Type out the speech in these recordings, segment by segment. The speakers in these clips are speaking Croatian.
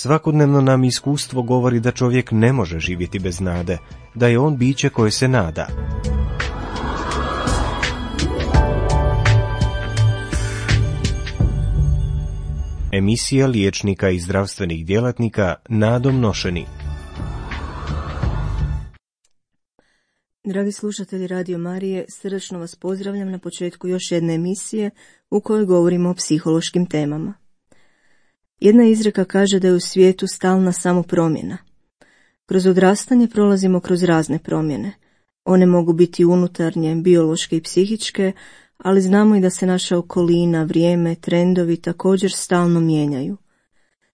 Svakodnevno nam iskustvo govori da čovjek ne može živjeti bez nade, da je on biće koje se nada. Emisija liječnika i zdravstvenih djelatnika nadom nošeni. Dragi slušatelji Radio Marije, srdačno vas pozdravljam na početku još jedne emisije u kojoj govorimo o psihološkim temama. Jedna izreka kaže da je u svijetu stalna samo promjena. Kroz odrastanje prolazimo kroz razne promjene. One mogu biti unutarnje, biološke i psihičke, ali znamo i da se naša okolina, vrijeme, trendovi također stalno mijenjaju.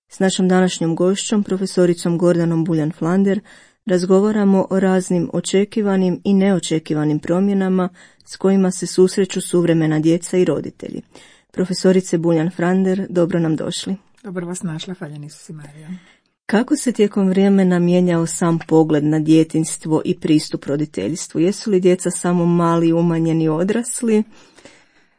S našom današnjom gošćom, profesoricom Gordanom Buljan-Flander, razgovaramo o raznim očekivanim i neočekivanim promjenama s kojima se susreću suvremena djeca i roditelji. Profesorice Buljan-Flander, dobro nam došli. Dobro vas našla, hvaljeni su si Marija. Kako se tijekom vremena mijenjao sam pogled na djetinjstvo i pristup roditeljstvu? Jesu li djeca samo mali, umanjeni odrasli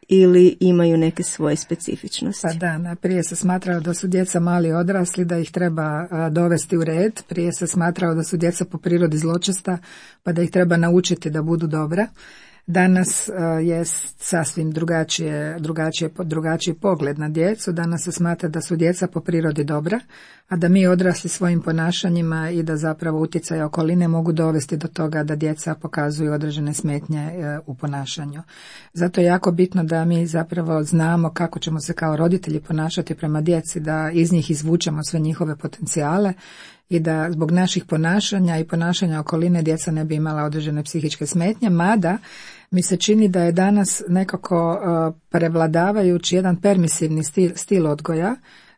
ili imaju neke svoje specifičnosti? Pa da, prije se smatralo da su djeca mali odrasli, da ih treba dovesti u red. Prije se smatralo da su djeca po prirodi zločesta, pa da ih treba naučiti da budu dobra. Danas je sasvim drugačiji pogled na djecu. Danas se smatra da su djeca po prirodi dobra, a da mi odrasli svojim ponašanjima i da zapravo utjecaje okoline mogu dovesti do toga da djeca pokazuju određene smetnje u ponašanju. Zato je jako bitno da mi zapravo znamo kako ćemo se kao roditelji ponašati prema djeci, da iz njih izvučemo sve njihove potencijale i da zbog naših ponašanja i ponašanja okoline djeca ne bi imala određene psihičke smetnje, mada mi se čini da je danas nekako prevladavajući jedan permisivni stil odgoja,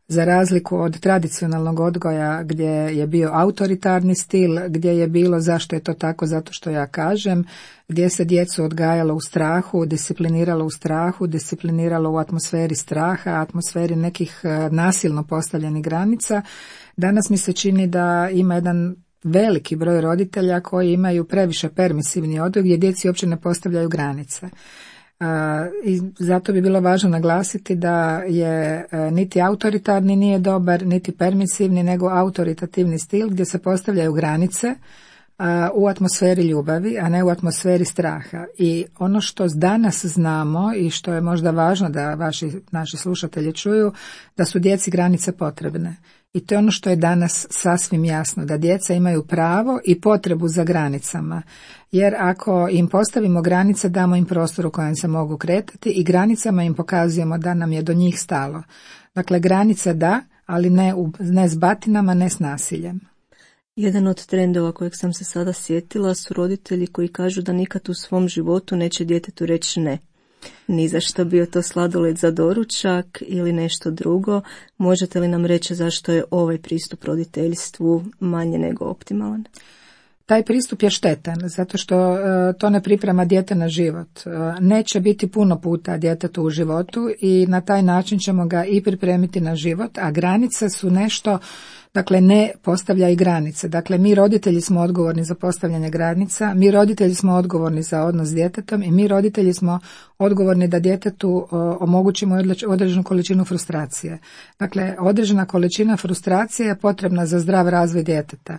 za razliku od tradicionalnog odgoja gdje je bio autoritarni stil, gdje je bilo zašto je to tako, zato što ja kažem, gdje se djecu odgajalo u strahu, discipliniralo u strahu, discipliniralo u atmosferi straha, atmosferi nekih nasilno postavljenih granica. Danas mi se čini da ima jedan veliki broj roditelja koji imaju previše permisivni odgoj gdje djeci uopće ne postavljaju granice. I zato bi bilo važno naglasiti da je niti autoritarni nije dobar, niti permisivni, nego autoritativni stil gdje se postavljaju granice u atmosferi ljubavi, a ne u atmosferi straha. I ono što danas znamo i što je možda važno da naši slušatelji čuju, da su djeci granice potrebne. I to je ono što je danas sasvim jasno, da djeca imaju pravo i potrebu za granicama. Jer ako im postavimo granice, damo im prostor u kojem se mogu kretati i granicama im pokazujemo da nam je do njih stalo. Dakle, granice da, ali ne s batinama, ne s nasiljem. Jedan od trendova kojeg sam se sada sjetila su roditelji koji kažu da nikad u svom životu neće djetetu reći ne. Ni za što, bio to sladoled za doručak ili nešto drugo. Možete li nam reći zašto je ovaj pristup roditeljstvu manje nego optimalan? Taj pristup je štetan, zato što to ne priprema dijete na život. Neće biti puno puta djetetu u životu i na taj način ćemo ga i pripremiti na život, a granice su nešto, dakle ne postavljaju granice. Dakle, mi roditelji smo odgovorni za postavljanje granica, mi roditelji smo odgovorni za odnos s djetetom i mi roditelji smo odgovorni da djetetu omogućimo određenu količinu frustracije. Dakle, određena količina frustracije je potrebna za zdrav razvoj djeteta.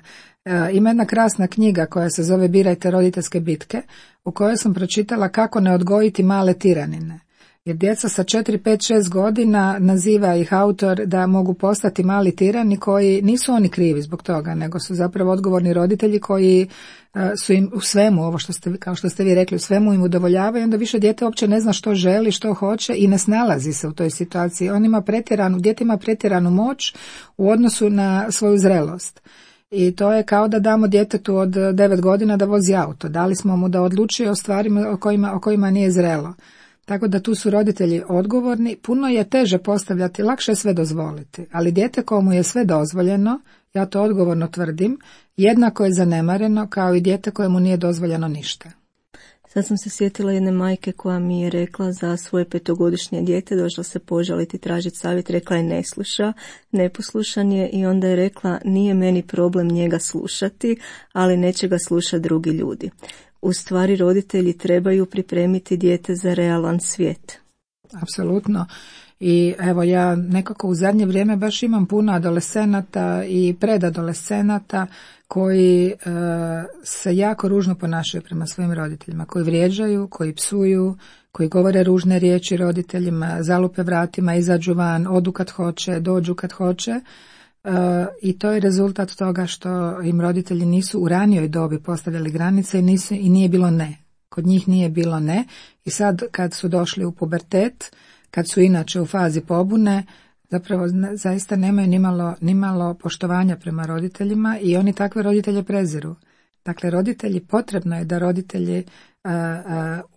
Ima jedna krasna knjiga koja se zove Birajte roditeljske bitke, u kojoj sam pročitala kako ne odgojiti male tiranine. Jer djeca sa 4, 5, 6 godina naziva ih autor da mogu postati mali tirani koji nisu oni krivi zbog toga, nego su zapravo odgovorni roditelji koji su im u svemu, ovo što ste, kao što ste vi rekli, u svemu im udovoljavaju, onda više dijete uopće ne zna što želi, što hoće i ne snalazi se u toj situaciji. Dijete ima pretjeranu moć u odnosu na svoju zrelost. I to je kao da damo djetetu od 9 godina da vozi auto. Dali smo mu da odlučuje o stvarima o kojima nije zrelo. Tako da tu su roditelji odgovorni. Puno je teže postavljati, lakše je sve dozvoliti. Ali dijete komu je sve dozvoljeno, ja to odgovorno tvrdim, jednako je zanemareno kao i dijete kojemu nije dozvoljeno ništa. Sad sam se sjetila jedne majke koja mi je rekla za svoje 5-godišnje dijete, došla se požaliti, tražiti savjet, rekla je ne sluša, neposlušan je i onda je rekla nije meni problem njega slušati, ali neće ga slušati drugi ljudi. U stvari roditelji trebaju pripremiti dijete za realan svijet. Apsolutno. I evo, ja nekako u zadnje vrijeme baš imam puno adolescenata i predadolescenata koji se jako ružno ponašaju prema svojim roditeljima, koji vrijeđaju, koji psuju, koji govore ružne riječi roditeljima, zalupe vratima, izađu van, odu kad hoće, dođu kad hoće. I to je rezultat toga što im roditelji nisu u ranijoj dobi postavljali granice i nije bilo ne. Kod njih nije bilo ne i sad kad su došli u pubertet, kad su inače u fazi pobune, zapravo zaista nemaju nimalo poštovanja prema roditeljima i oni takve roditelje preziru. Dakle, potrebno je da roditelji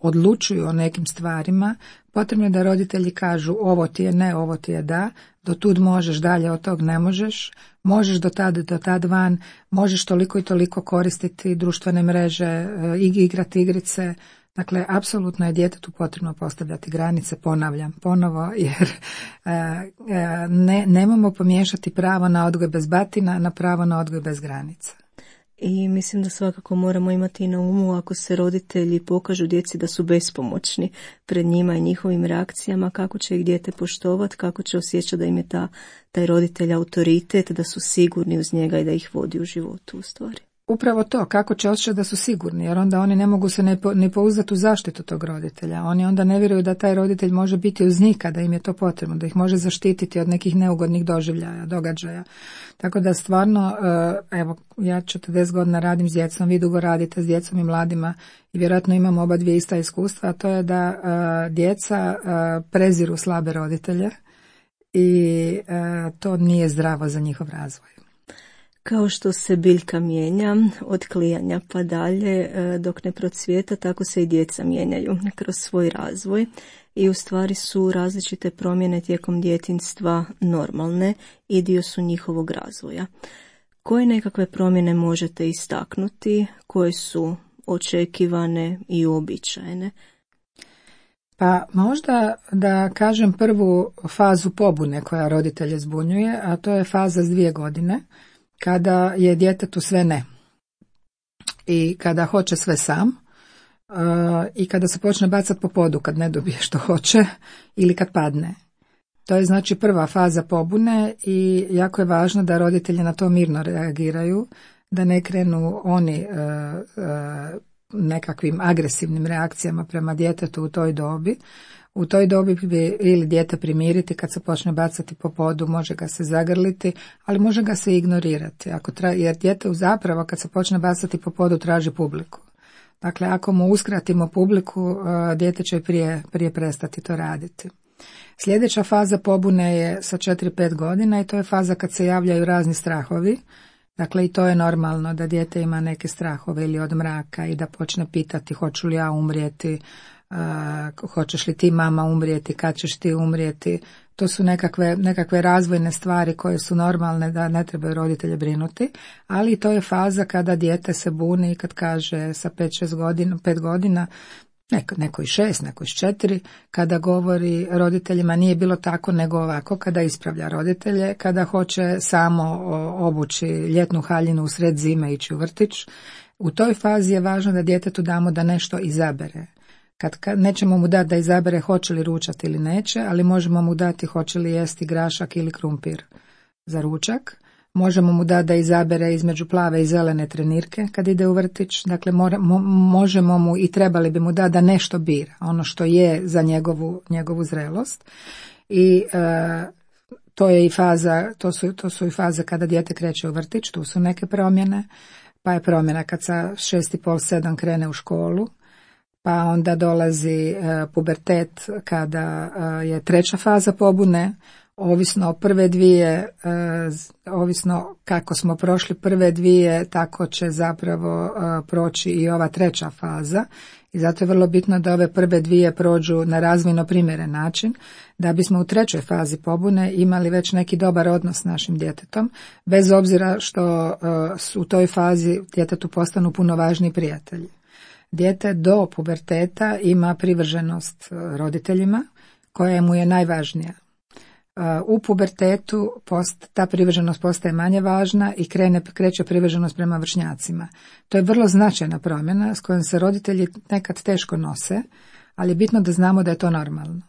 odlučuju o nekim stvarima, potrebno je da roditelji kažu ovo ti je ne, ovo ti je da, do tud možeš, dalje od tog ne možeš, možeš do tad van, možeš toliko i toliko koristiti društvene mreže, igrati igrice. Dakle, apsolutno je djetetu potrebno postavljati granice, ponavljam ponovo, jer nemamo pomiješati pravo na odgoj bez batina na pravo na odgoj bez granica. I mislim da svakako moramo imati na umu ako se roditelji pokažu djeci da su bespomoćni pred njima i njihovim reakcijama, kako će ih dijete poštovati, kako će osjećati da im je taj roditelj autoritet, da su sigurni uz njega i da ih vodi u životu u stvari. Upravo to, kako će osjećati da su sigurni, jer onda oni ne mogu se ne pouzdati u zaštitu tog roditelja. Oni onda ne vjeruju da taj roditelj može biti uz njih kada im je to potrebno, da ih može zaštititi od nekih neugodnih doživljaja, događaja. Tako da stvarno, evo, ja 40 godina radim s djecom, vi dugo radite s djecom i mladima i vjerojatno imamo oba dvije ista iskustva, a to je da djeca preziru slabe roditelje i to nije zdravo za njihov razvoj. Kao što se biljka mijenja od klijanja pa dalje dok ne procvijeta, tako se i djeca mijenjaju kroz svoj razvoj i u stvari su različite promjene tijekom djetinjstva normalne i dio su njihovog razvoja. Koje nekakve promjene možete istaknuti, koje su očekivane i uobičajene? Pa možda da kažem prvu fazu pobune koja roditelje zbunjuje, a to je faza s 2 godine. Kada je djetetu sve ne i kada hoće sve sam i kada se počne bacati po podu kad ne dobije što hoće ili kad padne. To je znači prva faza pobune i jako je važno da roditelji na to mirno reagiraju, da ne krenu oni nekakvim agresivnim reakcijama prema djetetu u toj dobi. U toj dobi bi ili dijete primiriti kad se počne bacati po podu, može ga se zagrliti, ali može ga se ignorirati. Jer dijete zapravo kad se počne bacati po podu traži publiku. Dakle, ako mu uskratimo publiku, dijete će prije prestati to raditi. Sljedeća faza pobune je sa 4-5 godina i to je faza kad se javljaju razni strahovi. Dakle, i to je normalno da dijete ima neke strahove ili od mraka i da počne pitati hoću li ja umrijeti, hoćeš li ti mama umrijeti, kad ćeš ti umrijeti. To su nekakve razvojne stvari koje su normalne da ne trebaju roditelje brinuti, ali to je faza kada dijete se buni i kad kaže sa 5 godina, neko i 6, neko i 4, kada govori roditeljima nije bilo tako nego ovako, kada ispravlja roditelje, kada hoće samo obući ljetnu haljinu u sred zime i ići u vrtić. U toj fazi je važno da djetetu damo da nešto izabere. Kad nećemo mu dati da izabere hoće li ručati ili neće, ali možemo mu dati hoće li jesti grašak ili krumpir za ručak. Možemo mu dati da izabere između plave i zelene trenirke kad ide u vrtić. Dakle, možemo mu i trebali bi mu dati da nešto bira, ono što je za njegovu zrelost. I to je i faza, to su i faze kada dijete kreće u vrtić, tu su neke promjene. Pa je promjena kad sa 6,5-7 krene u školu. Pa onda dolazi pubertet kada je 3. faza pobune, ovisno o prve 2, ovisno kako smo prošli prve 2, tako će zapravo proći i ova 3. faza. I zato je vrlo bitno da ove prve 2 prođu na razvojno primjeren način, da bismo u 3. fazi pobune imali već neki dobar odnos s našim djetetom, bez obzira što u toj fazi djetetu postanu puno važniji prijatelji. Dijete do puberteta ima privrženost roditeljima koja mu je najvažnija. U pubertetu ta privrženost postaje manje važna i kreće privrženost prema vršnjacima. To je vrlo značajna promjena s kojom se roditelji nekad teško nose, ali je bitno da znamo da je to normalno.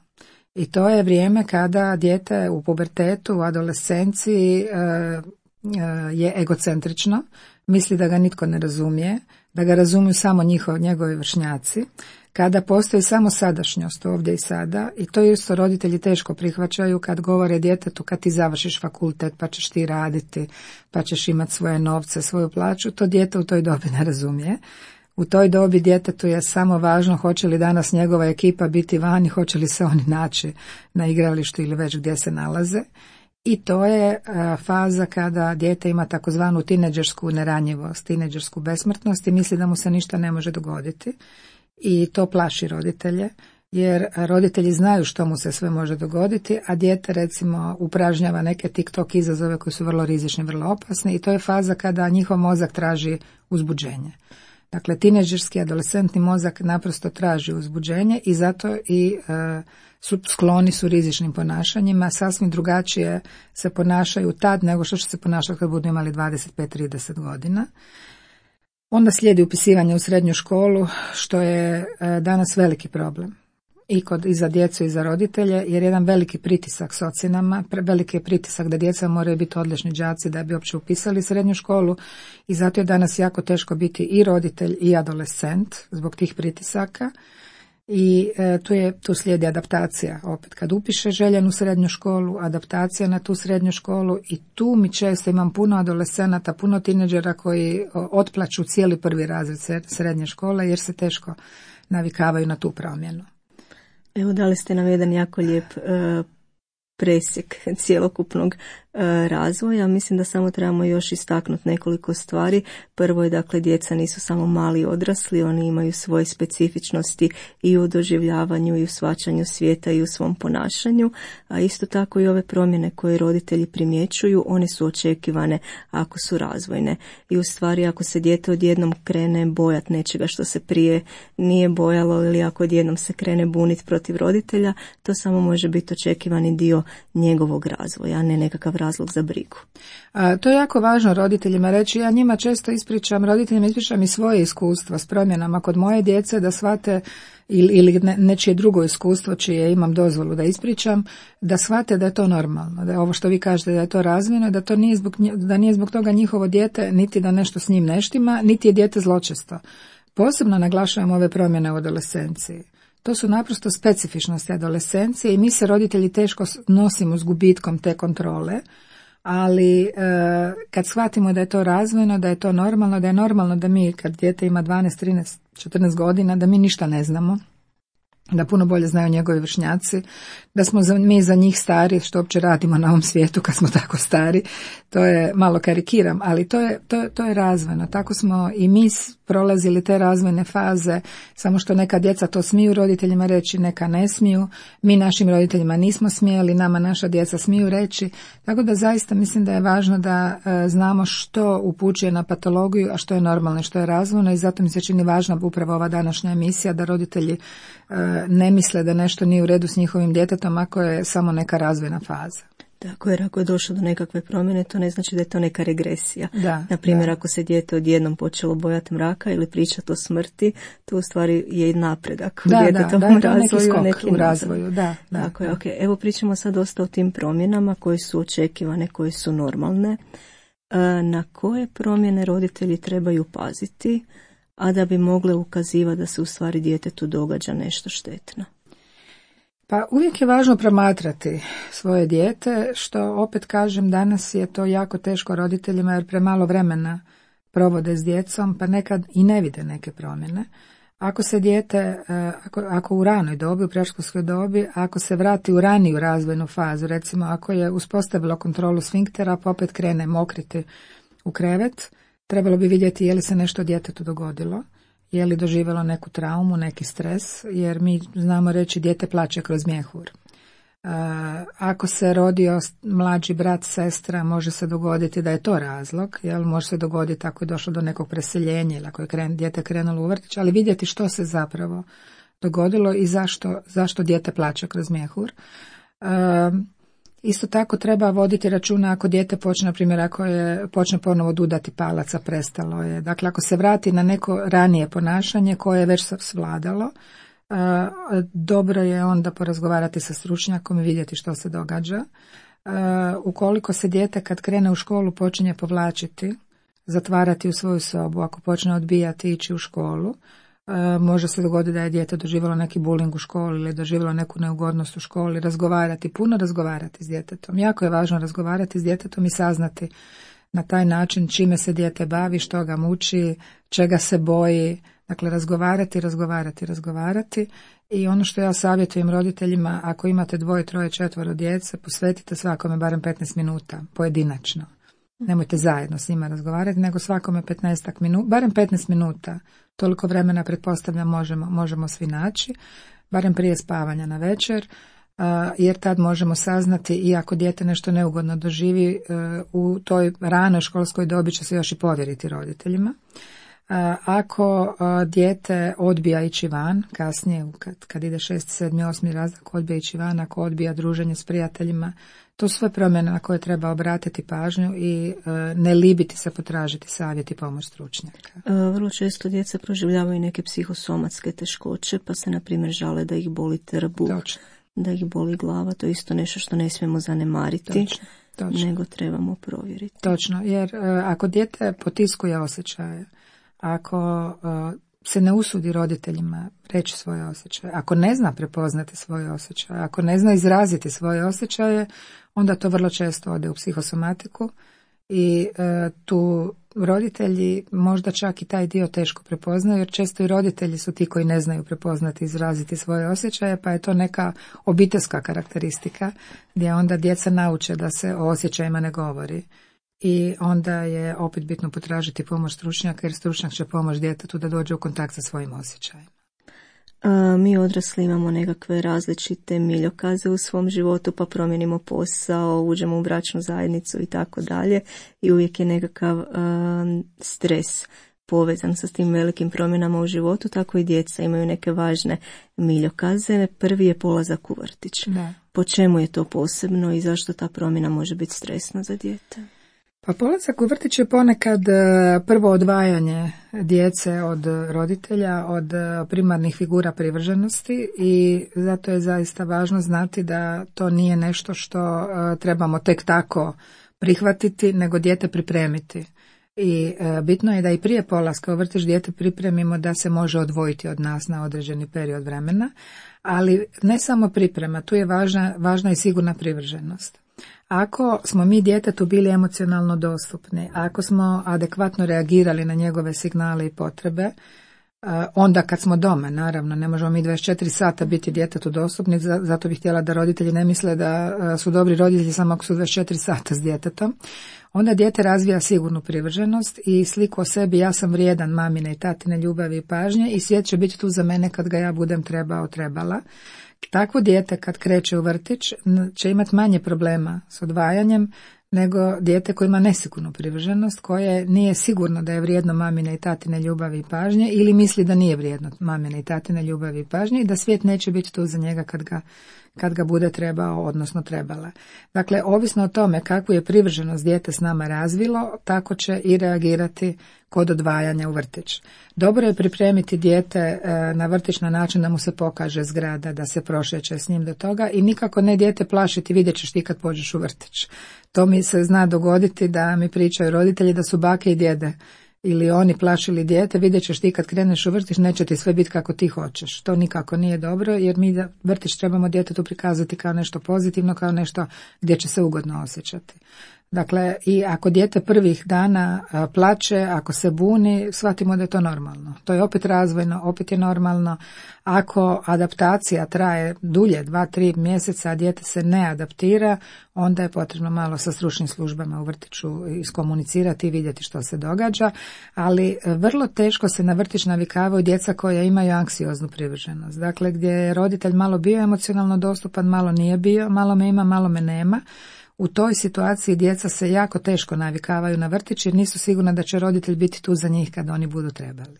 I to je vrijeme kada dijete u pubertetu, u adolescenciji je egocentrično, misli da ga nitko ne razumije, da ga razumiju samo njegovi vršnjaci, kada postoji samo sadašnjost ovdje i sada, i to isto roditelji teško prihvaćaju kad govore djetetu kad ti završiš fakultet pa ćeš ti raditi, pa ćeš imati svoje novce, svoju plaću, to dijete u toj dobi ne razumije. U toj dobi djetetu je samo važno hoće li danas njegova ekipa biti vani, hoće li se oni naći na igralištu ili već gdje se nalaze. I to je faza kada dijete ima takozvanu tineđersku neranjivost, tineđersku besmrtnost i misli da mu se ništa ne može dogoditi. I to plaši roditelje, jer roditelji znaju što mu se sve može dogoditi, a dijete recimo upražnjava neke TikTok izazove koji su vrlo rizični, vrlo opasni i to je faza kada njihov mozak traži uzbuđenje. Dakle, tineđerski, adolescentni mozak naprosto traži uzbuđenje i zato i skloni su rizičnim ponašanjima, sasvim drugačije se ponašaju tad nego što će se ponašati kad budu imali 25-30 godina. Onda slijedi upisivanje u srednju školu, što je danas veliki problem. I za djecu i za roditelje, jer jedan veliki pritisak s ocjenama, veliki je pritisak da djeca moraju biti odlični đaci da bi uopće upisali srednju školu i zato je danas jako teško biti i roditelj i adolescent zbog tih pritisaka. I tu slijedi adaptacija, opet kad upiše željenu srednju školu, adaptacija na tu srednju školu i tu mi često imam puno adolescenata, puno tineđera koji otplaću cijeli prvi razred srednje škole jer se teško navikavaju na tu promjenu. Evo, dali ste nam jedan jako lijep presjek cjelokupnog razvoja. Mislim da samo trebamo još istaknuti nekoliko stvari. Prvo je, dakle, djeca nisu samo mali odrasli, oni imaju svoje specifičnosti i u doživljavanju i u shvaćanju svijeta i u svom ponašanju, a isto tako i ove promjene koje roditelji primjećuju, one su očekivane ako su razvojne. I u stvari ako se dijete odjednom krene bojat nečega što se prije nije bojalo ili ako odjednom se krene buniti protiv roditelja, to samo može biti očekivani dio njegovog razvoja, a ne nekakav razlog za brigu. To je jako važno roditeljima reći. Ja njima često roditeljima ispričam i svoje iskustva s promjenama kod moje djece da shvate ili nečije drugo iskustvo čije imam dozvolu da ispričam, da shvate da je to normalno, da je ovo što vi kažete da je to razvojno, da nije zbog toga njihovo dijete niti da nešto s njim ne štima, niti je dijete zločesto. Posebno naglašavam ove promjene u adolescenciji. To su naprosto specifičnosti adolescencije i mi se roditelji teško nosimo s gubitkom te kontrole, ali kad shvatimo da je to razvojno, da je to normalno, da je normalno da mi kad dijete ima 12, 13, 14 godina, da mi ništa ne znamo, da puno bolje znaju njegovi vršnjaci, da smo mi za njih stari, što uopće radimo na ovom svijetu kad smo tako stari, to je, malo karikiram, ali to je razvojno. Tako smo i mi prolazili te razvojne faze, samo što neka djeca to smiju roditeljima reći, neka ne smiju, mi našim roditeljima nismo smjeli, nama naša djeca smiju reći, tako da zaista mislim da je važno da znamo što upućuje na patologiju, a što je normalno i što je razvojno i zato mi se čini važna upravo ova današnja emisija da roditelji ne misle da nešto nije u redu s njihovim djetetom ako je samo neka razvojna faza. Tako, jer ako je došlo do nekakve promjene, to ne znači da je to neka regresija. Naprimjer, ako se dijete odjednom počelo bojati mraka ili pričati o smrti, to u stvari je i napredak u djetetovom razvoju. Neki skok u razvoju. Tako je, okay. Evo pričamo sad dosta o tim promjenama koje su očekivane, koje su normalne. Na koje promjene roditelji trebaju paziti, a da bi mogle ukazivati da se u stvari djetetu događa nešto štetno? Pa uvijek je važno promatrati svoje dijete, što opet kažem danas je to jako teško roditeljima jer premalo vremena provode s djecom pa nekad i ne vide neke promjene. Ako se dijete, ako u ranoj dobi, u predškolskoj dobi, ako se vrati u raniju razvojnu fazu, recimo ako je uspostavilo kontrolu sfinktera pa opet krene mokriti u krevet, trebalo bi vidjeti je li se nešto djetetu dogodilo. Je li doživjelo neku traumu, neki stres, jer mi znamo reći dijete plače kroz mjehur. Ako se rodio mlađi brat, sestra, može se dogoditi da je to razlog, jel? Može se dogoditi ako je došlo do nekog preseljenja ili ako je dijete krenulo u vrtić, ali vidjeti što se zapravo dogodilo i zašto dijete plače kroz mjehur. Isto tako treba voditi računa ako dijete počne, na primjer, počne ponovo dudati palaca, prestalo je. Dakle, ako se vrati na neko ranije ponašanje koje je već svladalo, dobro je onda porazgovarati sa stručnjakom i vidjeti što se događa. Ukoliko se dijete kad krene u školu počinje povlačiti, zatvarati u svoju sobu, ako počne odbijati ići u školu, može se dogoditi da je dijete doživjelo neki bullying u školi ili doživjelo neku neugodnost u školi, puno razgovarati s djetetom. Jako je važno razgovarati s djetetom i saznati na taj način čime se dijete bavi, što ga muči, čega se boji. Dakle, razgovarati. I ono što ja savjetujem roditeljima, ako imate 2, 3, 4 djece, posvetite svakome barem 15 minuta, pojedinačno. Nemojte zajedno s njima razgovarati, nego svakome 15 minuta, barem 15 minuta. Toliko vremena, pretpostavljam, možemo svi naći, barem prije spavanja na večer, jer tad možemo saznati i ako dijete nešto neugodno doživi, u toj ranoj školskoj dobi će se još i povjeriti roditeljima. Ako dijete odbija ići van, kasnije kad ide 6, 7, 8 razred, odbija ići van, ako odbija druženje s prijateljima, to su sve promjene na koje treba obratiti pažnju i ne libiti se potražiti savjet i pomoć stručnjaka. Vrlo često djeca proživljavaju neke psihosomatske teškoće, pa se na primjer žale da ih boli trbuh, da ih boli glava. To je isto nešto što ne smijemo zanemariti. Točno. Nego trebamo provjeriti. Točno, jer ako dijete potiskuje osjećaje, ako se ne usudi roditeljima reći svoje osjećaje, ako ne zna prepoznati svoje osjećaje, ako ne zna izraziti svoje osjećaje, onda to vrlo često ode u psihosomatiku i tu roditelji možda čak i taj dio teško prepoznaju, jer često i roditelji su ti koji ne znaju prepoznati i izraziti svoje osjećaje, pa je to neka obiteljska karakteristika gdje onda djeca nauče da se o osjećajima ne govori. I onda je opet bitno potražiti pomoć stručnjaka, jer stručnjak će pomoći djetetu da dođe u kontakt sa svojim osjećajima. Mi odrasli imamo nekakve različite miljokaze u svom životu, pa promijenimo posao, uđemo u bračnu zajednicu i tako dalje. I uvijek je nekakav stres povezan sa tim velikim promjenama u životu, tako i djeca imaju neke važne miljokaze. Prvi je polazak u vrtić. Da. Po čemu je to posebno i zašto ta promjena može biti stresna za dijete? Pa polazak u vrtić je ponekad prvo odvajanje djece od roditelja, od primarnih figura privrženosti i zato je zaista važno znati da to nije nešto što trebamo tek tako prihvatiti, nego dijete pripremiti. I bitno je da i prije polaska u vrtić dijete pripremimo da se može odvojiti od nas na određeni period vremena, ali ne samo priprema, tu je važna i sigurna privrženost. Ako smo mi djetetu bili emocionalno dostupni, ako smo adekvatno reagirali na njegove signale i potrebe, onda kad smo doma, naravno, ne možemo mi 24 sata biti djetetu dostupni, zato bih htjela da roditelji ne misle da su dobri roditelji samo ako su 24 sata s djetetom, onda dijete razvija sigurnu privrženost i sliku o sebi, ja sam vrijedan mamine i tatine ljubavi i pažnje i svijet će biti tu za mene kad ga ja budem trebala. Takvo dijete kad kreće u vrtić će imati manje problema s odvajanjem nego dijete koje ima nesigurnu privrženost, koje nije sigurno da je vrijedno mamine i tatine ljubavi i pažnje ili misli da nije vrijedno mamine i tatine ljubavi i pažnje i da svijet neće biti tu za njega kad ga bude trebao, odnosno trebala. Dakle, ovisno o tome kakvu je privrženost dijete s nama razvilo, tako će i reagirati kod odvajanja u vrtić. Dobro je pripremiti dijete na vrtić na način da mu se pokaže zgrada, da se prošeće s njim do toga i nikako ne dijete plašiti, vidjet ćeš ti kad pođeš u vrtić. To mi se zna dogoditi da mi pričaju roditelji da su bake i djede ili oni plašili dijete, vidjet ćeš ti kad kreneš u vrtić, neće ti sve biti kako ti hoćeš. To nikako nije dobro, jer mi vrtić trebamo djetetu prikazati kao nešto pozitivno, kao nešto gdje će se ugodno osjećati. Dakle, i ako dijete prvih dana plače, ako se buni, shvatimo da je to normalno. To je opet razvojno, opet je normalno. Ako adaptacija traje dulje, 2-3 mjeseca, a dijete se ne adaptira, onda je potrebno malo sa stručnim službama u vrtiću iskomunicirati i vidjeti što se događa, ali vrlo teško se na vrtić navikavaju djeca koja imaju anksioznu privrženost. Dakle, gdje je roditelj malo bio emocionalno dostupan, malo nije bio, malo me ima, malo me nema. U toj situaciji djeca se jako teško navikavaju na vrtić jer nisu sigurna da će roditelj biti tu za njih kad oni budu trebali.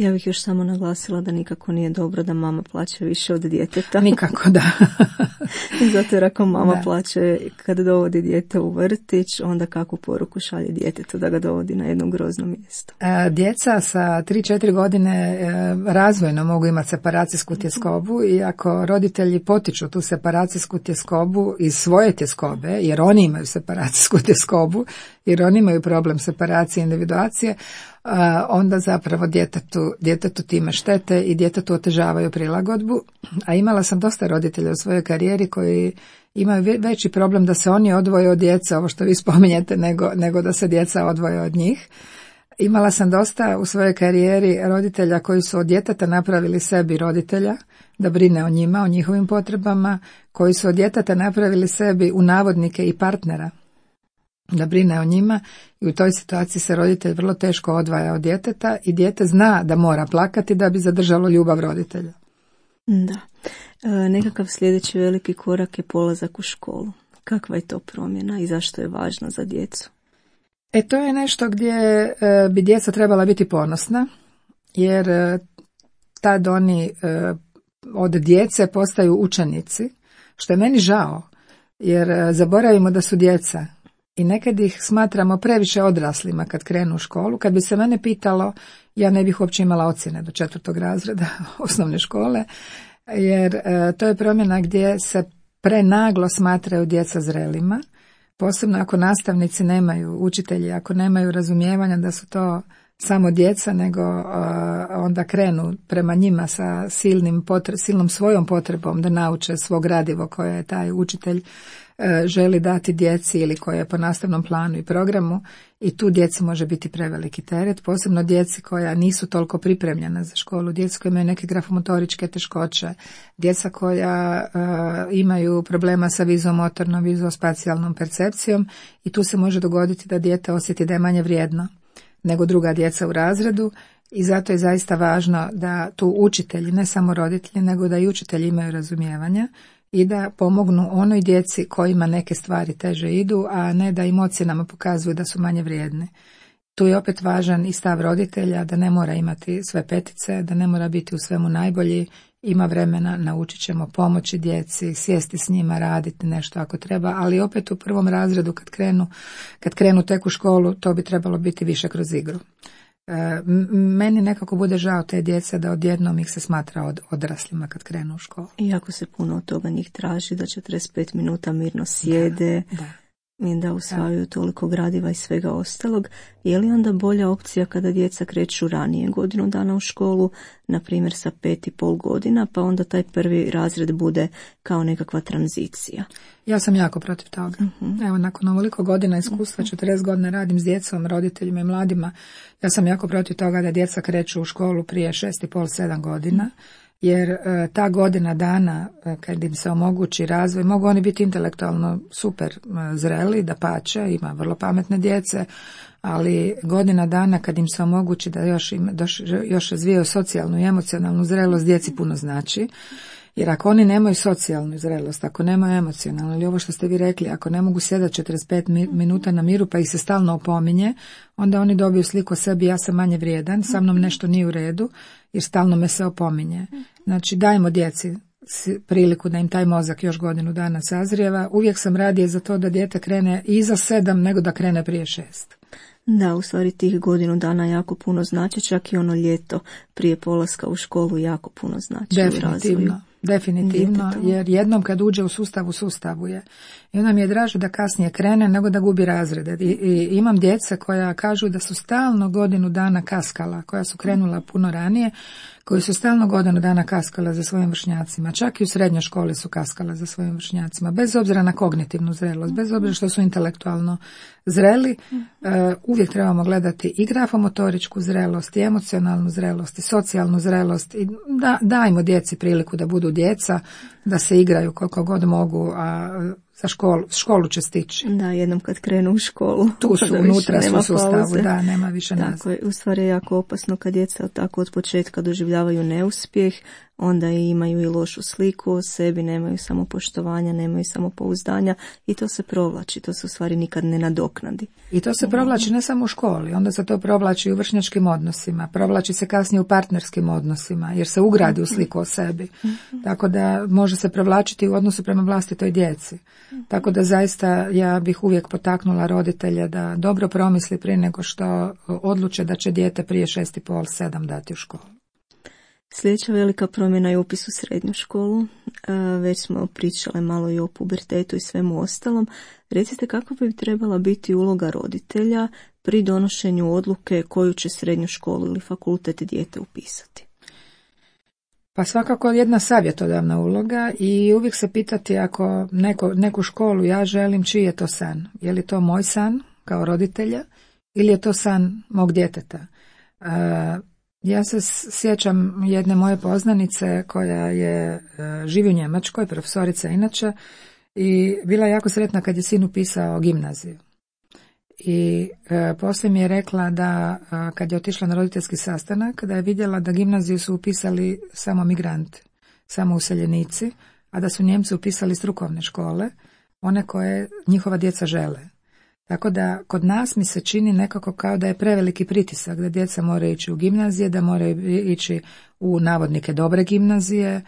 Ja bih još samo naglasila da nikako nije dobro da mama plaća više od djeteta. Nikako, da. Zato jer ako mama plaća kada dovodi dijete u vrtić, onda kakvu poruku šalje djetetu da ga dovodi na jedno grozno mjesto. Djeca sa 3-4 godine razvojno mogu imati separacijsku tjeskobu i ako roditelji potiču tu separacijsku tjeskobu iz svoje tjeskobe, jer oni imaju separacijsku tjeskobu, jer oni imaju problem separacije i individuacije, onda zapravo djetetu time štete i djetetu otežavaju prilagodbu. A imala sam dosta roditelja u svojoj karijeri koji imaju veći problem da se oni odvoje od djece, ovo što vi spominjete, nego da se djeca odvoje od njih. Imala sam dosta u svojoj karijeri roditelja koji su od djeteta napravili sebi roditelja, da brine o njima, o njihovim potrebama, koji su od djeteta napravili sebi u navodnike i partnera, da brine o njima, i u toj situaciji se roditelj vrlo teško odvaja od djeteta i dijete zna da mora plakati da bi zadržalo ljubav roditelja. Da. Nekakav sljedeći veliki korak je polazak u školu. Kakva je to promjena i zašto je važno za djecu? To je nešto gdje bi djeca trebala biti ponosna, jer tad oni od djece postaju učenici, što je meni žao, jer zaboravimo da su djeca. I nekad ih smatramo previše odraslima kad krenu u školu. Kad bi se mene pitalo, ja ne bih uopće imala ocjene do 4. razreda osnovne škole, jer to je promjena gdje se prenaglo smatraju djeca zrelima, posebno ako nastavnici nemaju, učitelji ako nemaju razumijevanja da su to samo djeca, nego onda krenu prema njima sa silnom svojom potrebom da nauče svog gradivo koje je taj učitelj želi dati djeci ili koje je po nastavnom planu i programu, i tu djeci može biti preveliki teret, posebno djeci koja nisu toliko pripremljena za školu, djeci koja imaju neke grafomotoričke teškoće, djeca koja imaju problema sa vizuomotornom, vizuospacijalnom percepcijom, i tu se može dogoditi da dijete osjeti da je manje vrijedno nego druga djeca u razredu, i zato je zaista važno da tu učitelji, ne samo roditelji, nego da i učitelji imaju razumijevanja i da pomognu onoj djeci kojima neke stvari teže idu, a ne da im ocjenama pokazuju da su manje vrijedne. Tu je opet važan i stav roditelja da ne mora imati sve petice, da ne mora biti u svemu najbolji, ima vremena, naučit ćemo pomoći djeci, sjesti s njima, raditi nešto ako treba, ali opet u 1. razredu kad krenu tek u školu, to bi trebalo biti više kroz igru. Meni nekako bude žao te djece da odjednom ih se smatra odraslima kad krenu u školu. Iako se puno od toga njih traži, da 45 minuta mirno sjede, i da usvajaju toliko gradiva i svega ostalog, je li onda bolja opcija kada djeca kreću ranije godinu dana u školu, na primjer sa 5,5 godina, pa onda taj 1. razred bude kao nekakva tranzicija? Ja sam jako protiv toga. Evo, nakon ovoliko godina iskustva, 40 godina radim s djecom, roditeljima i mladima, ja sam jako protiv toga da djeca kreću u školu prije 6,5-7 godina, jer ta godina dana kad im se omogući razvoj, mogu oni biti intelektualno super zreli, dapače, ima vrlo pametne djece, ali godina dana kad im se omogući da još razvijaju socijalnu i emocionalnu zrelost, djeci puno znači. Jer ako oni nemaju socijalnu zrelost, ako nemaju emocionalnu, ili ovo što ste vi rekli, ako ne mogu sjedati 45 minuta na miru pa ih se stalno opominje, onda oni dobiju sliku o sebi, ja sam manje vrijedan, sa mnom nešto nije u redu, jer stalno me se opominje. Znači, dajmo djeci priliku da im taj mozak još godinu dana sazrijeva. Uvijek sam radije za to da dijete krene iza 7 nego da krene prije 6. Da, u stvari tih godinu dana jako puno znači, čak i ono ljeto prije polaska u školu jako puno znači. Definitivno, jer jednom kad uđe u sustavu je. I onda mi je draže da kasnije krene nego da gubi razrede. I imam djece koja kažu da su stalno godinu dana kaskala, koja su krenula puno ranije, koji su stalno godinu dana kaskala za svojim vršnjacima. Čak i u srednjoj školi su kaskala za svojim vršnjacima. Bez obzira na kognitivnu zrelost, bez obzira što su intelektualno zreli, uvijek trebamo gledati i grafomotoričku zrelost, i emocionalnu zrelost, i socijalnu zrelost. I dajmo djeci priliku da budu djeca, da se igraju koliko god mogu, a za školu će stići. Da, jednom kad krenu u školu. Tu su, unutra su u sustavu, da, nema više nazad. Tako je, u stvari je jako opasno kad djeca tako od početka doživljavaju neuspjeh, onda imaju i lošu sliku o sebi, nemaju samopoštovanja, nemaju samopouzdanja i to se provlači, to se u stvari nikad ne nadoknadi. I to se provlači ne samo u školi, onda se to provlači u vršnjačkim odnosima, provlači se kasnije u partnerskim odnosima, jer se ugradi u sliku o sebi. Tako da može se provlačiti u odnosu prema vlastitoj djeci. Tako da zaista ja bih uvijek potaknula roditelje da dobro promisli prije nego što odluče da će dijete prije 6,5-7 dati u školu. Sljedeća velika promjena je upis u srednju školu. Već smo pričale malo i o pubertetu i svemu ostalom. Recite kako bi trebala biti uloga roditelja pri donošenju odluke koju će srednju školu ili fakultet dijete upisati? Pa svakako jedna savjetodavna uloga i uvijek se pitati ako neku školu ja želim, čiji je to san? Je li to moj san kao roditelja ili je to san mog djeteta? Ja se sjećam jedne moje poznanice koja živi u Njemačkoj, profesorica inače, i bila je jako sretna kad je sin upisao gimnaziju. I poslije mi je rekla da kad je otišla na roditeljski sastanak, da je vidjela da gimnaziju su upisali samo migranti, samo useljenici, a da su Njemci upisali strukovne škole, one koje njihova djeca žele. Tako da kod nas mi se čini nekako kao da je preveliki pritisak, da djeca moraju ići u gimnazije, da moraju ići u navodnike dobre gimnazije,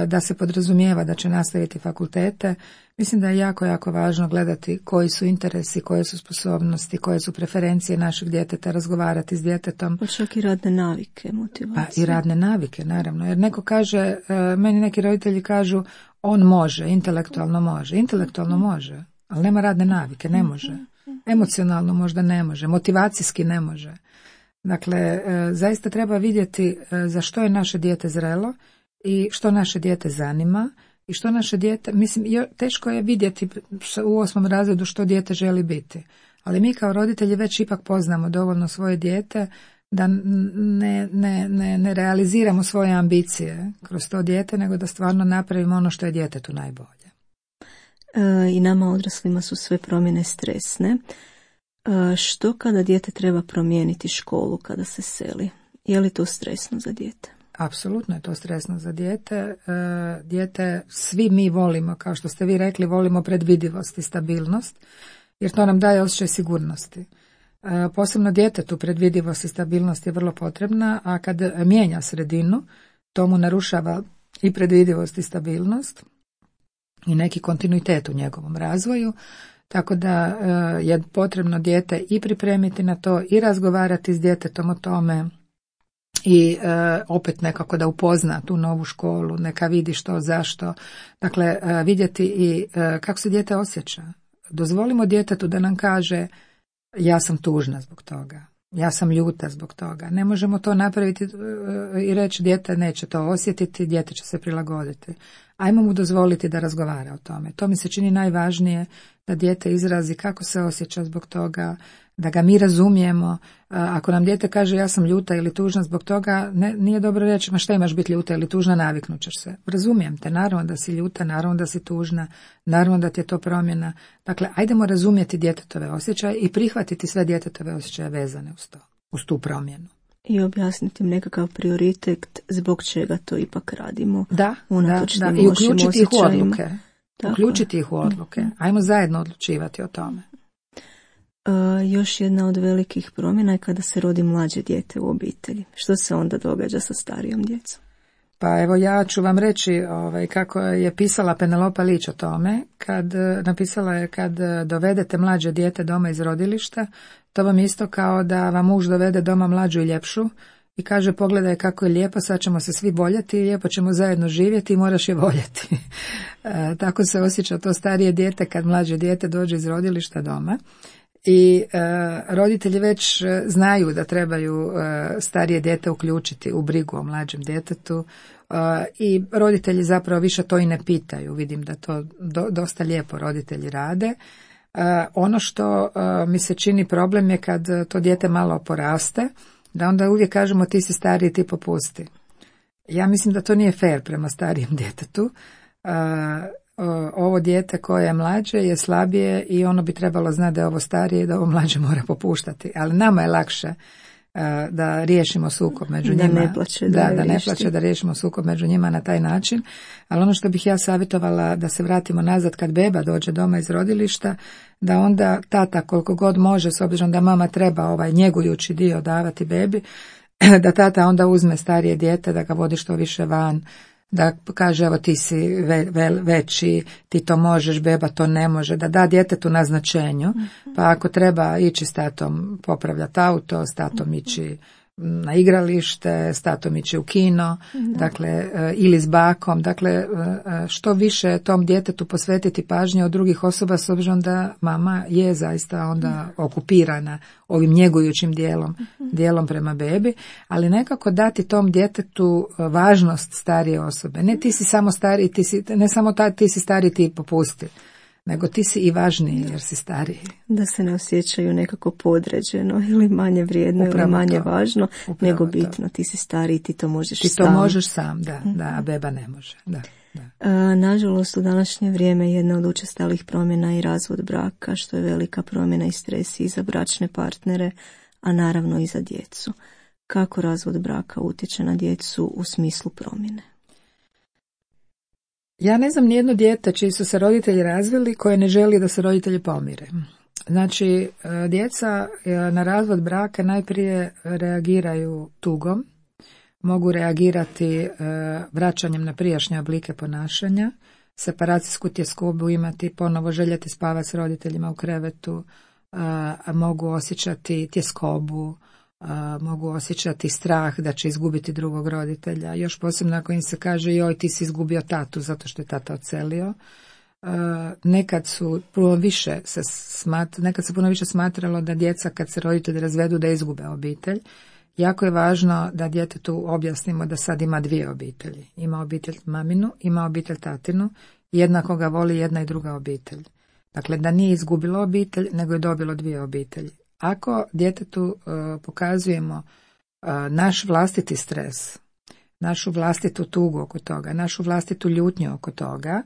da se podrazumijeva da će nastaviti fakultete. Mislim da je jako, jako važno gledati koji su interesi, koje su sposobnosti, koje su preferencije našeg djeteta, razgovarati s djetetom. Pa čak i radne navike, motivacije. Pa i radne navike, naravno. Jer neko kaže, meni neki roditelji kažu, on može, intelektualno može, ali nema radne navike, ne može. Emocionalno možda ne može, motivacijski ne može. Dakle, zaista treba vidjeti za što je naše dijete zrelo i što naše dijete zanima i što naše dijete, mislim, teško je vidjeti u 8. razredu što dijete želi biti. Ali mi kao roditelji već ipak poznamo dovoljno svoje dijete da ne realiziramo svoje ambicije kroz to dijete, nego da stvarno napravimo ono što je djetetu najbolje. I nama odraslima su sve promjene stresne. Što kada dijete treba promijeniti školu kada se seli? Je li to stresno za dijete? Apsolutno je to stresno za dijete. Dijete svi mi volimo, kao što ste vi rekli, volimo predvidivost i stabilnost, jer to nam daje osjećaj sigurnosti. Posebno djetetu predvidivost i stabilnost je vrlo potrebna, a kad mijenja sredinu, to mu narušava i predvidivost i stabilnost i neki kontinuitet u njegovom razvoju, tako da je potrebno dijete i pripremiti na to i razgovarati s djetetom o tome i opet nekako da upozna tu novu školu, neka vidi što, zašto, dakle vidjeti i kako se dijete osjeća. Dozvolimo djetetu da nam kaže ja sam tužna zbog toga, ja sam ljuta zbog toga. Ne možemo to napraviti i reći dijete neće to osjetiti, dijete će se prilagoditi. Ajmo mu dozvoliti da razgovara o tome. To mi se čini najvažnije, da dijete izrazi kako se osjeća zbog toga, da ga mi razumijemo. Ako nam dijete kaže ja sam ljuta ili tužna zbog toga, nije dobro reći ma šta imaš biti ljuta ili tužna, naviknut ćeš se. Razumijem te, naravno da si ljuta, naravno da si tužna, naravno da ti je to promjena. Dakle, ajdemo razumjeti djetetove osjećaje i prihvatiti sve djetetove osjećaje vezane uz tu promjenu. I objasniti im nekakav prioritet zbog čega to ipak radimo. Da. I uključiti ih u odluke. Uključiti ih u odluke. Ajmo zajedno odlučivati o tome. Još jedna od velikih promjena je kada se rodi mlađe dijete u obitelji. Što se onda događa sa starijom djecom? Pa evo ja ću vam reći kako je pisala Penelopa Lić o tome. Napisala je kad dovedete mlađe dijete doma iz rodilišta, to vam isto kao da vam muž dovede doma mlađu i ljepšu i kaže pogledaj kako je lijepo, sad ćemo se svi voljeti i lijepo ćemo zajedno živjeti i moraš je voljeti. Tako se osjeća to starije dijete kad mlađe dijete dođe iz rodilišta doma. I roditelji već znaju da trebaju starije dijete uključiti u brigu o mlađem djetetu i roditelji zapravo više to i ne pitaju. Vidim da to dosta lijepo roditelji rade. Ono što mi se čini problem je kad to dijete malo poraste, da onda uvijek kažemo ti si stariji, ti popusti. Ja mislim da to nije fair prema starijem djetetu. Ovo dijete koje je mlađe je slabije i ono bi trebalo znati da je ovo starije i da ovo mlađe mora popuštati. Ali nama je lakše da riješimo sukob među njima. Da ne plaće, da riješimo sukob među njima na taj način. Ali ono što bih ja savjetovala da se vratimo nazad kad beba dođe doma iz rodilišta, da onda tata koliko god može, s obzirom da mama treba ovaj njegujući dio davati bebi, da tata onda uzme starije dijete, da ga vodi što više van, da kaže evo ti si veći, ti to možeš, beba to ne može, da da djetetu na značenju, pa ako treba ići s tatom popravljati auto, s tatom ići na igralište, s tatom ići u kino, dakle, ili s bakom, dakle, što više tom djetetu posvetiti pažnje od drugih osoba, s obzirom da mama je zaista onda okupirana ovim njegujućim dijelom prema bebi, ali nekako dati tom djetetu važnost starije osobe. Ne ti si samo stariji, ne samo ti si stariji, ti popusti, nego ti si i važniji jer si stariji. Da se ne osjećaju nekako podređeno ili manje vrijedno ili manje važno, nego bitno, ti si stariji, ti to možeš sam. Ti to možeš sam, a beba ne može. Nažalost, u današnje vrijeme jedna od učestalih promjena je i razvod braka, što je velika promjena i stres i za bračne partnere, a naravno i za djecu. Kako razvod braka utječe na djecu u smislu promjene? Ja ne znam nijedno dijete čiji su se roditelji razvili koje ne želi da se roditelji pomire. Znači, djeca na razvod braka najprije reagiraju tugom, mogu reagirati vraćanjem na prijašnje oblike ponašanja, separacijsku tjeskobu imati, ponovo željeti spavati s roditeljima u krevetu, mogu osjećati tjeskobu, mogu osjećati strah da će izgubiti drugog roditelja. Još posebno ako im se kaže joj ti si izgubio tatu zato što je tata odselio. Nekad se puno više smatralo da djeca kad se roditelji razvedu da izgube obitelj. Jako je važno da djetetu objasnimo da sad ima dvije obitelji. Ima obitelj maminu, ima obitelj tatinu, jednako ga voli jedna i druga obitelj. Dakle, da nije izgubilo obitelj, nego je dobilo dvije obitelji. Ako djetetu pokazujemo naš vlastiti stres, našu vlastitu tugu oko toga, našu vlastitu ljutnju oko toga,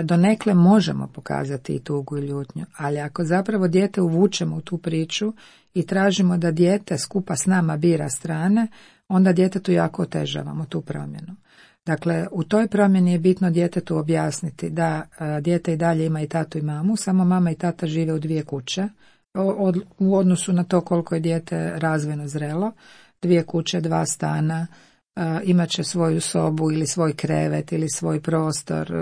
donekle možemo pokazati i tugu i ljutnju, ali ako zapravo dijete uvučemo u tu priču i tražimo da dijete skupa s nama bira strane, onda djetetu jako otežavamo tu promjenu. Dakle, u toj promjeni je bitno djetetu objasniti da dijete i dalje ima i tatu i mamu, samo mama i tata žive u dvije kuće, u odnosu na to koliko je dijete razvojno zrelo, dvije kuće, dva stana, imat će svoju sobu ili svoj krevet ili svoj prostor,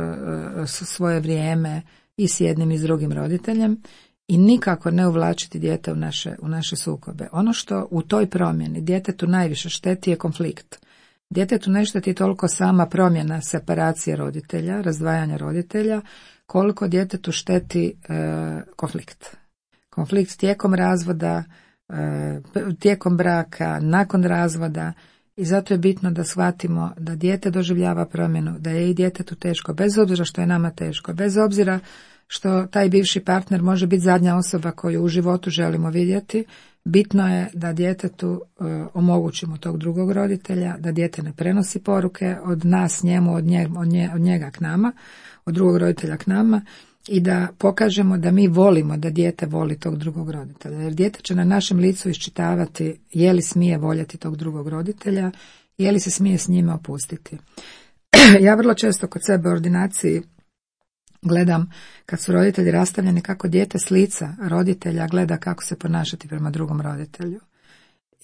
svoje vrijeme i s jednim i s drugim roditeljem i nikako ne uvlačiti dijete u naše sukobe. Ono što u toj promjeni djetetu najviše šteti je konflikt. Djetetu ne šteti toliko sama promjena separacije roditelja, razdvajanja roditelja, koliko djetetu šteti konflikt. Konflikt tijekom razvoda, tijekom braka, nakon razvoda i zato je bitno da shvatimo da dijete doživljava promjenu, da je i djetetu teško, bez obzira što je nama teško, bez obzira što taj bivši partner može biti zadnja osoba koju u životu želimo vidjeti, bitno je da djetetu omogućimo tog drugog roditelja, da dijete ne prenosi poruke od nas njemu, od njega k nama, od drugog roditelja k nama, i da pokažemo da mi volimo da dijete voli tog drugog roditelja. Jer dijete će na našem licu iščitavati je li smije voljeti tog drugog roditelja, je li se smije s njime opustiti. Ja vrlo često kod sebe u ordinaciji gledam kad su roditelji rastavljeni kako dijete s lica roditelja gleda kako se ponašati prema drugom roditelju.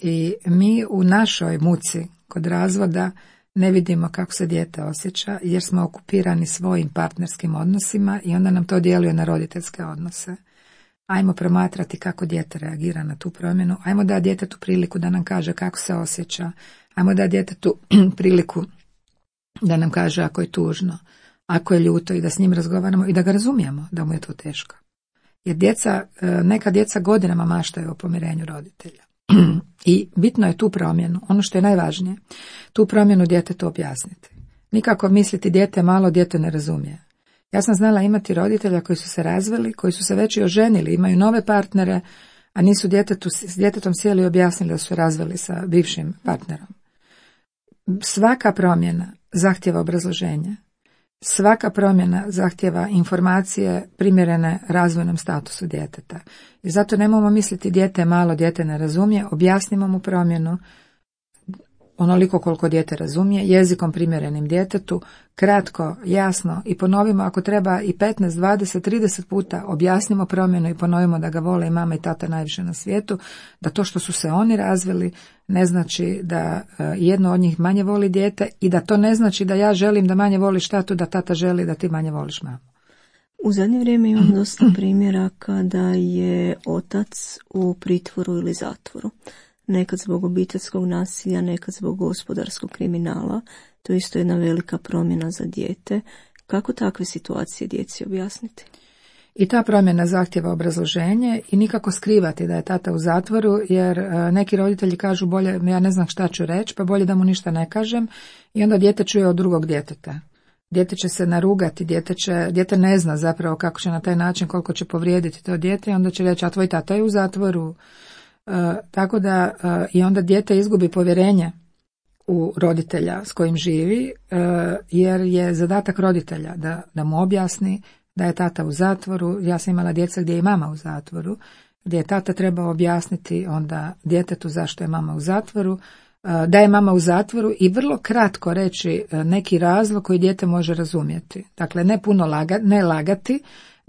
I mi u našoj muci kod razvoda ne vidimo kako se dijete osjeća jer smo okupirani svojim partnerskim odnosima i onda nam to djeluje na roditeljske odnose. Ajmo promatrati kako dijete reagira na tu promjenu, ajmo dati djetetu priliku da nam kaže kako se osjeća, ajmo dati djetetu priliku da nam kaže ako je tužno, ako je ljuto i da s njim razgovaramo i da ga razumijemo da mu je to teško. Jer neka djeca godinama maštaju o pomirenju roditelja. I bitno je tu promjenu, ono što je najvažnije, tu promjenu djetetu objasniti. Nikako misliti dijete malo, dijete ne razumije. Ja sam znala imati roditelja koji su se razveli, koji su se već i oženili, imaju nove partnere, a nisu s djetetom sjeli i objasnili da su razveli sa bivšim partnerom. Svaka promjena zahtjeva obrazloženje. Svaka promjena zahtjeva informacije primjerene razvojnom statusu djeteta. I zato nemojmo misliti dijete je malo, dijete ne razumije, objasnimo mu promjenu onoliko koliko dijete razumije, jezikom primjerenim djetetu, kratko, jasno i ponovimo ako treba i 15, 20, 30 puta objasnimo promjenu i ponovimo da ga vole i mama i tata najviše na svijetu, da to što su se oni razvili ne znači da jedno od njih manje voli dijete i da to ne znači da ja želim da manje voliš tatu, da tata želi da ti manje voliš mamu. U zadnje vrijeme imam dosta primjera kada je otac u pritvoru ili zatvoru. Nekad zbog obiteljskog nasilja, nekad zbog gospodarskog kriminala. To je isto jedna velika promjena za dijete. Kako takve situacije djeci objasniti? I ta promjena zahtjeva obrazloženje i nikako skrivati da je tata u zatvoru, jer neki roditelji kažu bolje, ja ne znam šta ću reći, pa bolje da mu ništa ne kažem i onda dijete čuje od drugog djeteta. Dijete će se narugati, dijete ne zna zapravo kako će na taj način, koliko će povrijediti to dijete i onda će reći, a tvoj tata je u zatvoru. Tako da i onda dijete izgubi povjerenje u roditelja s kojim živi, jer je zadatak roditelja da mu objasni da je tata u zatvoru. Ja sam imala djeca gdje je i mama u zatvoru, gdje je tata trebao objasniti onda djetetu zašto je mama u zatvoru, da je mama u zatvoru i vrlo kratko reći neki razlog koji dijete može razumjeti. Dakle, ne puno ne lagati,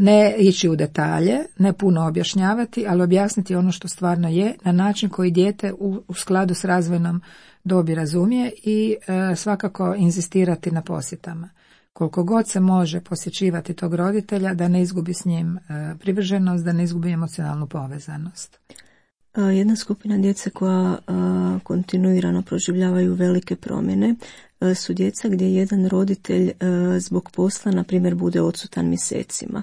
ne ići u detalje, ne puno objašnjavati, ali objasniti ono što stvarno je na način koji dijete u skladu s razvojnom dobi razumije i svakako inzistirati na posjetama. Koliko god se može posjećivati tog roditelja da ne izgubi s njim privrženost, da ne izgubi emocionalnu povezanost. Jedna skupina djece koja kontinuirano proživljavaju velike promjene su djeca gdje jedan roditelj zbog posla, na primjer, bude odsutan mjesecima.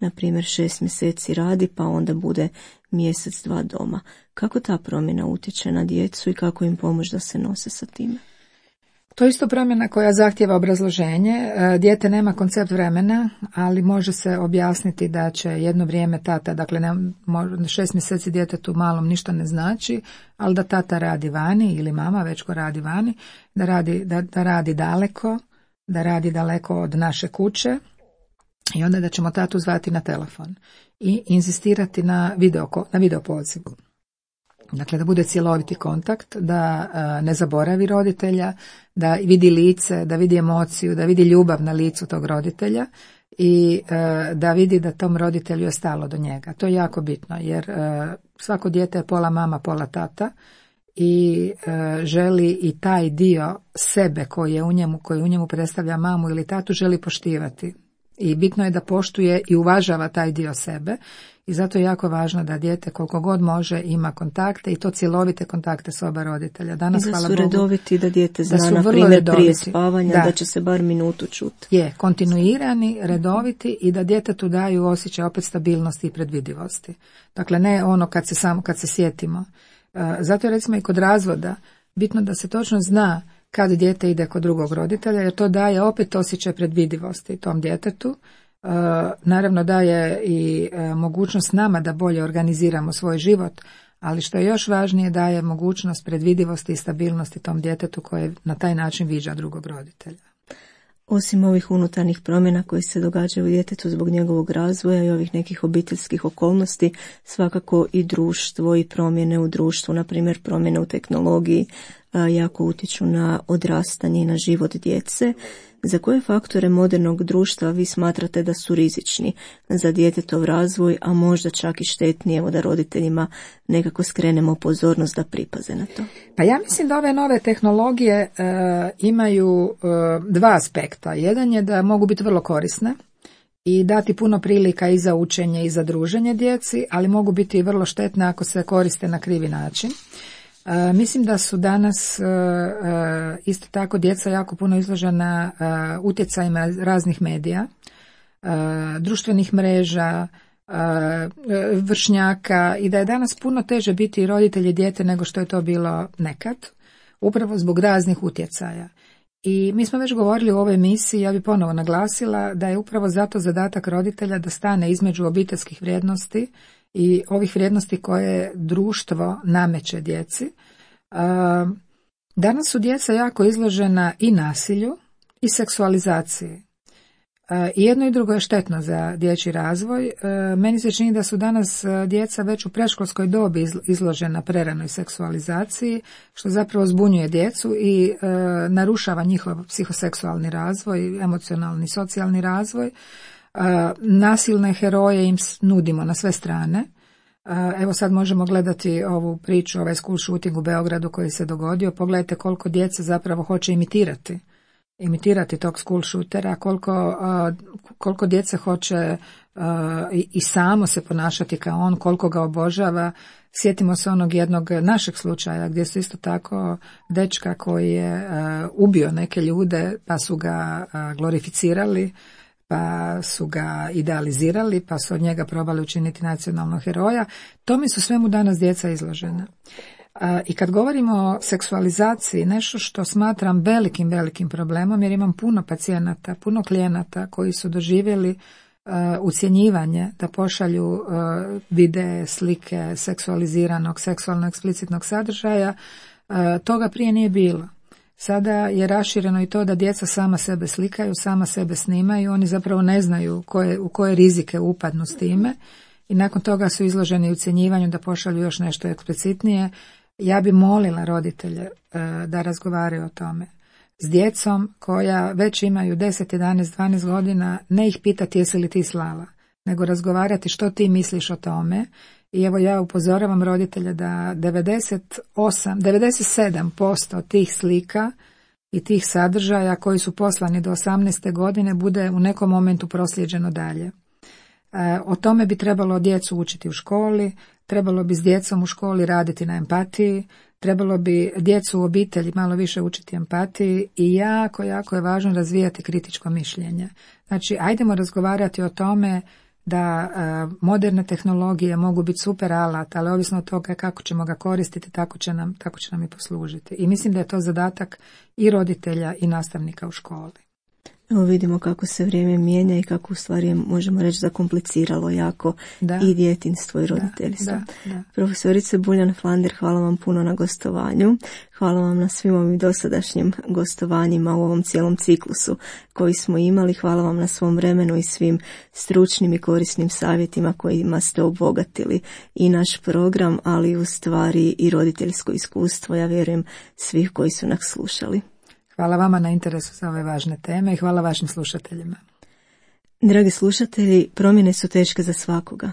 Na primjer, 6 mjeseci radi, pa onda bude mjesec, 2 doma. Kako ta promjena utječe na djecu i kako im pomoći da se nose sa time? To je isto promjena koja zahtjeva obrazloženje. Dijete nema koncept vremena, ali može se objasniti da će jedno vrijeme tata, dakle 6 mjeseci djetetu malom ništa ne znači, ali da tata radi vani ili mama već ko radi vani, da radi daleko, da radi daleko od naše kuće i onda da ćemo tatu zvati na telefon i inzistirati na video pozivu. Dakle, da bude cjeloviti kontakt, da ne zaboravi roditelja, da vidi lice, da vidi emociju, da vidi ljubav na licu tog roditelja i da vidi da tom roditelju je stalo do njega. To je jako bitno jer svako dijete je pola mama, pola tata i želi i taj dio sebe koji u njemu predstavlja mamu ili tatu želi poštivati. I bitno je da poštuje i uvažava taj dio sebe i zato je jako važno da dijete koliko god može ima kontakte i to cjelovite kontakte s oba roditelja. Danas, i da hvala su Bogu, redoviti, da dijete zna, na primjer, prije spavanja, da će se bar minutu čuti. Je, kontinuirani, redoviti i da djetetu daju osjećaj opet stabilnosti i predvidivosti. Dakle, ne ono kad se sjetimo. Zato je recimo i kod razvoda bitno da se točno zna kad dijete ide kod drugog roditelja, jer to daje opet osjećaj predvidivosti tom djetetu. Naravno daje i mogućnost nama da bolje organiziramo svoj život, ali što je još važnije daje mogućnost predvidivosti i stabilnosti tom djetetu koje na taj način viđa drugog roditelja. Osim ovih unutarnjih promjena koji se događaju u djetetu zbog njegovog razvoja i ovih nekih obiteljskih okolnosti, svakako i društvo i promjene u društvu, na primjer promjene u tehnologiji, jako utječu na odrastanje i na život djece. Za koje faktore modernog društva vi smatrate da su rizični za djetetov razvoj, a možda čak i štetni, evo da roditeljima nekako skrenemo pozornost da pripaze na to? Pa ja mislim da ove nove tehnologije imaju dva aspekta. Jedan je da mogu biti vrlo korisne i dati puno prilika i za učenje i za druženje djeci, ali mogu biti i vrlo štetne ako se koriste na krivi način. Mislim da su danas isto tako djeca jako puno izložena utjecajima raznih medija, društvenih mreža, vršnjaka i da je danas puno teže biti roditelj i dijete nego što je to bilo nekad, upravo zbog raznih utjecaja. I mi smo već govorili u ovoj emisiji, ja bih ponovo naglasila da je upravo zato zadatak roditelja da stane između obiteljskih vrijednosti i ovih vrijednosti koje društvo nameće djeci. Danas su djeca jako izložena i nasilju i seksualizaciji. I jedno i drugo je štetno za dječji razvoj. Meni se čini da su danas djeca već u predškolskoj dobi izložena preranoj seksualizaciji, što zapravo zbunjuje djecu i narušava njihov psihoseksualni razvoj, emocionalni, socijalni razvoj. Nasilne heroje im nudimo na sve strane. Evo sad možemo gledati ovu priču, ovaj school shooting u Beogradu koji se dogodio. Pogledajte koliko djece zapravo hoće imitirati tog school shootera, koliko djece hoće i samo se ponašati kao on, koliko ga obožava. Sjetimo se onog jednog našeg slučaja gdje su isto tako dečka koji je ubio neke ljude pa su ga glorificirali, pa su ga idealizirali, pa su od njega probali učiniti nacionalnog heroja. Tome su svemu danas djeca izložena. I kad govorimo o seksualizaciji, nešto što smatram velikim problemom, jer imam puno pacijenata, puno klijenata koji su doživjeli ucjenjivanje da pošalju videe, slike seksualiziranog, seksualno eksplicitnog sadržaja, toga prije nije bilo. Sada je rašireno i to da djeca sama sebe slikaju, sama sebe snimaju, oni zapravo ne znaju u koje rizike upadnu s time i nakon toga su izloženi ucjenjivanju da pošalju još nešto eksplicitnije. Ja bi molila roditelje da razgovaraju o tome s djecom koja već imaju 10, 11, 12 godina, ne ih pitati jesi li ti slala, nego razgovarati što ti misliš o tome. I evo ja upozoravam roditelje da 97% tih slika i tih sadržaja koji su poslani do 18. godine bude u nekom momentu proslijeđeno dalje. O tome bi trebalo djecu učiti u školi, trebalo bi s djecom u školi raditi na empatiji, trebalo bi djecu u obitelji malo više učiti empatiji i jako je važno razvijati kritičko mišljenje. Znači, ajdemo razgovarati o tome da moderne tehnologije mogu biti super alat, ali ovisno od toga kako ćemo ga koristiti, tako će nam i poslužiti. I mislim da je to zadatak i roditelja i nastavnika u školi. Evo vidimo kako se vrijeme mijenja i kako u stvari možemo reći zakompliciralo jako i djetinjstvo i roditeljstvo. Da. Profesorice Buljan-Flander, hvala vam puno na gostovanju. Hvala vam na svim ovim dosadašnjim gostovanjima u ovom cijelom ciklusu koji smo imali. Hvala vam na svom vremenu i svim stručnim i korisnim savjetima kojima ste obogatili i naš program, ali u stvari i roditeljsko iskustvo, ja vjerujem, svih koji su nas slušali. Hvala vama na interesu za ove važne teme i hvala vašim slušateljima. Dragi slušatelji, promjene su teške za svakoga.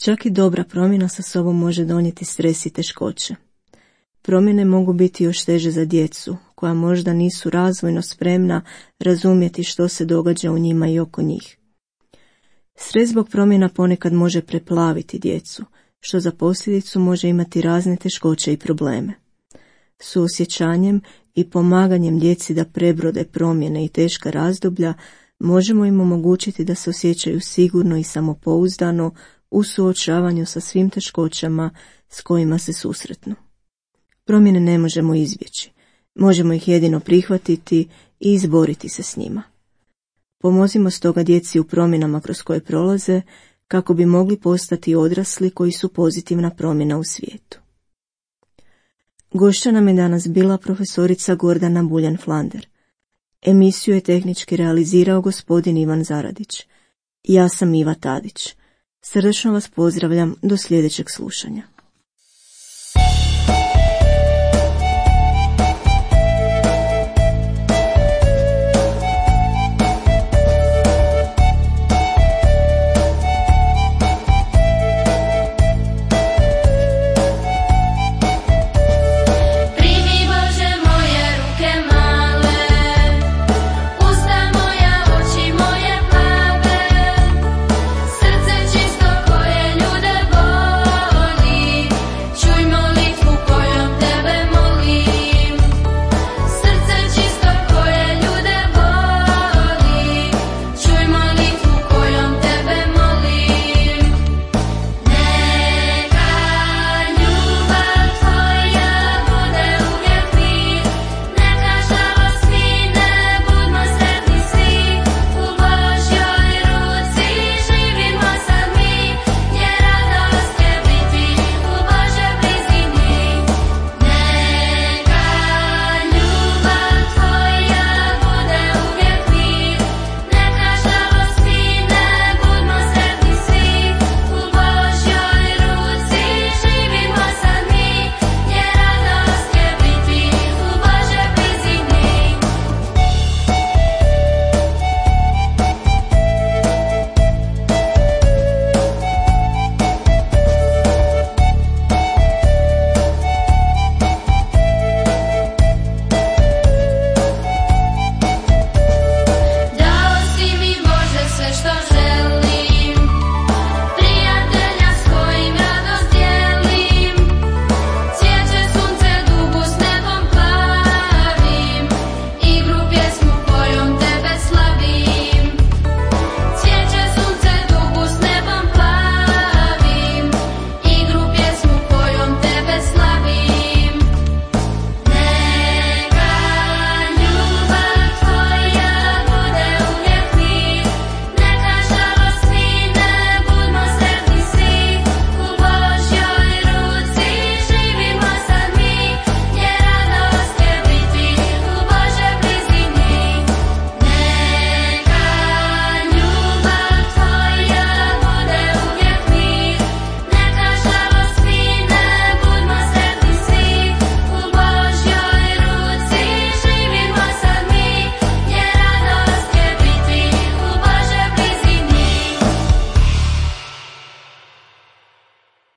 Čak i dobra promjena sa sobom može donijeti stres i teškoće. Promjene mogu biti još teže za djecu, koja možda nisu razvojno spremna razumjeti što se događa u njima i oko njih. Stres zbog promjena ponekad može preplaviti djecu, što za posljedicu može imati razne teškoće i probleme. Suosjećanjem i pomaganjem djeci da prebrode promjene i teška razdoblja, možemo im omogućiti da se osjećaju sigurno i samopouzdano u suočavanju sa svim teškoćama s kojima se susretnu. Promjene ne možemo izbjeći, možemo ih jedino prihvatiti i izboriti se s njima. Pomozimo stoga djeci u promjenama kroz koje prolaze, kako bi mogli postati odrasli koji su pozitivna promjena u svijetu. Gošća nam je danas bila profesorica Gordana Buljan-Flander. Emisiju je tehnički realizirao gospodin Ivan Zaradić. Ja sam Iva Tadić. Srdačno vas pozdravljam do sljedećeg slušanja.